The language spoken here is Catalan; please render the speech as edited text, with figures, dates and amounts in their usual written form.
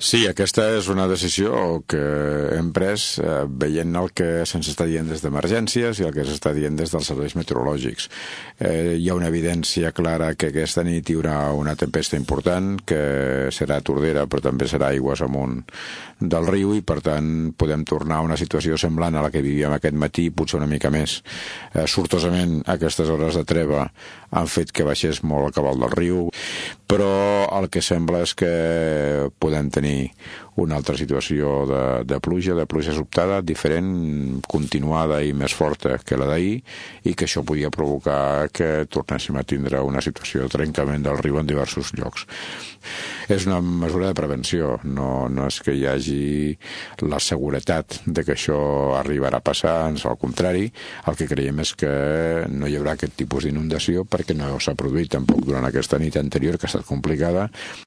Sí, aquesta és una decisió que hem pres veient el que se'ns està dient des d'emergències i el que s'està dient des dels serveis meteorològics. Hi ha una evidència clara que aquesta nit hi haurà una tempesta important, que serà a Tordera, però també serà aigües amunt del riu, i per tant podem tornar a una situació semblant a la que vivíem aquest matí, potser una mica més. Sortosament, aquestes hores de treva han fet que baixés molt el cabal del riu, però el que sembla és que podem tenir una altra situació de pluja sobtada, diferent, continuada i més forta que la d'ahir, i que això podia provocar que tornéssim a tindre una situació de trencament del riu en diversos llocs. És una mesura de prevenció, no és que hi hagi la seguretat de que això arribarà a passar, ans al contrari, el que creiem és que no hi haurà aquest tipus d'inundació perquè no s'ha produït tampoc durant aquesta nit anterior, que ha estat complicada.